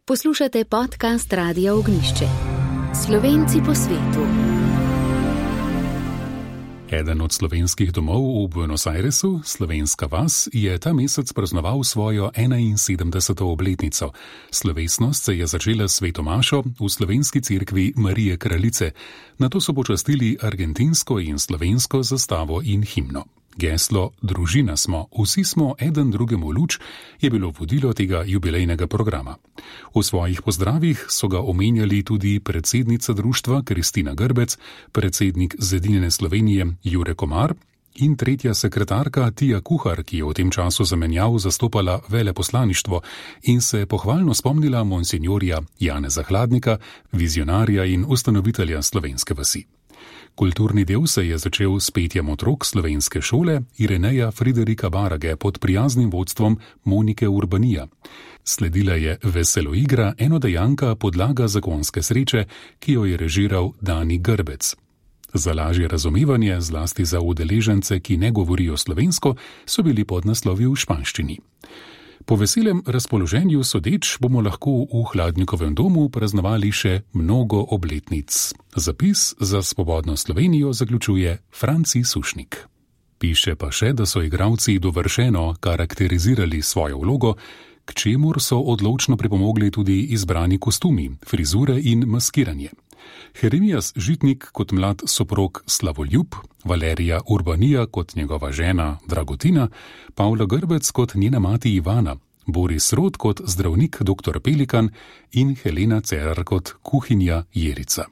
Poslušate podcast Radia Ognjišče. Slovenci po svetu. Eden od slovenskih domov v Buenos Airesu, Slovenska vas, je ta mesec praznoval svojo 71. obletnico. Slovesnost se je začela s sveto mašo v slovenski cerkvi Marije Kraljice. Nato so počastili argentinsko in slovensko zastavo in himno. Geslo Družina smo, vsi smo eden drugemu luč je bilo vodilo tega jubilejnega programa. V svojih pozdravih so ga omenjali tudi predsednica društva Kristina Grbec, predsednik Zedinjene Slovenije Jure Komar in tretja sekretarka Tija Kuhar, ki je v tem času zamenjav zastopala veleposlaništvo in se pohvalno spomnila monsinjorja Janeza Hladnika, vizionarja in ustanovitelja slovenske vasi. Kulturni del se je začel s petjem otrok slovenske šole Ireneja Friderika Barage pod prijaznim vodstvom Monike Urbanija. Sledila je veseloigra enodejanka Podlaga zakonske sreče, ki jo je režiral Dani Grbec. Za lažje razumevanje, zlasti za udeležence, ki ne govorijo slovensko, so bili podnaslovi v španščini. Po veselem razpoloženju sodeč bomo lahko v Hladnikovem domu praznovali še mnogo obletnic. Zapis za Svobodno Slovenijo zaključuje Franci Sušnik. Piše pa še, da so igralci dovršeno karakterizirali svojo vlogo, k čemur so odločno pripomogli tudi izbrani kostumi, frizure in maskiranje. Jeremijas Žitnik kot mlad soprog Slavoljub, Valerija Urbanija kot njegova žena Dragotina, Pavla Grbec kot njena mati Ivana, Boris Rod kot zdravnik dr. Pelikan in Helena Cerar kot kuhinja Jerica.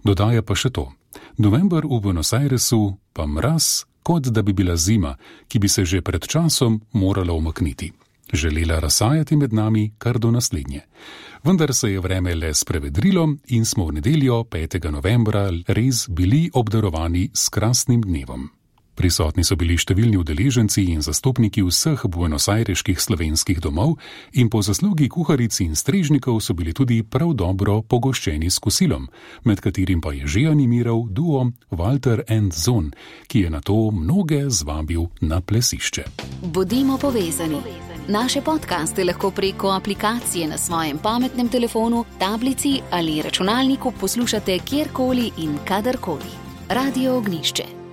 Dodaja pa še to. November v Buenos Airesu pa mraz, kot da bi bila zima, ki bi se že pred časom morala umakniti. Želela razsajati med nami kar do naslednje. Vendar se je vreme le sprevedrilo in smo v nedeljo 5. novembra res bili obdarovani s krasnim dnevom. Prisotni so bili številni udeleženci in zastopniki vseh buenosaireških slovenskih domov in po zaslugi kuharic in strežnikov so bili tudi prav dobro pogoščeni s kosilom, med katerim pa je že animiral duo Walter and Zon, ki je nato mnoge zvabil na plesišče. Bodimo povezani. Naše podcaste lahko preko aplikacije na svojem pametnem telefonu, tablici ali računalniku poslušate kjerkoli in kadarkoli. Radio Ognjišče.